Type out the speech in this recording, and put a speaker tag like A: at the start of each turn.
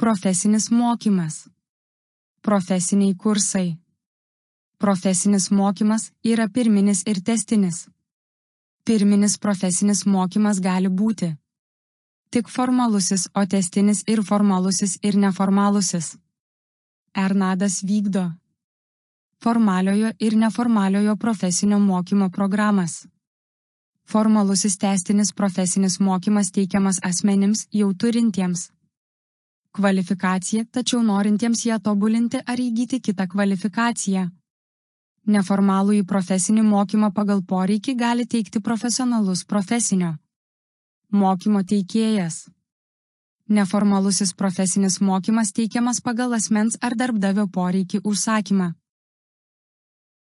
A: Profesinis mokymas. Profesiniai kursai. Profesinis mokymas yra pirminis ir tęstinis. Pirminis profesinis mokymas gali būti tik formalusis, o tęstinis ir formalusis ir neformalusis. ERNADAS vykdo formaliojo ir neformaliojo profesinio mokymo programas. Formalusis tęstinis profesinis mokymas teikiamas asmenims jau turintiems kvalifikaciją, tačiau norintiems ją tobulinti ar įgyti kitą kvalifikaciją. Neformalųjį profesinį mokymą pagal poreikį gali teikti profesionalus profesinio mokymo teikėjas. Neformalusis profesinis mokymas teikiamas pagal asmens ar darbdavio poreikį užsakymą.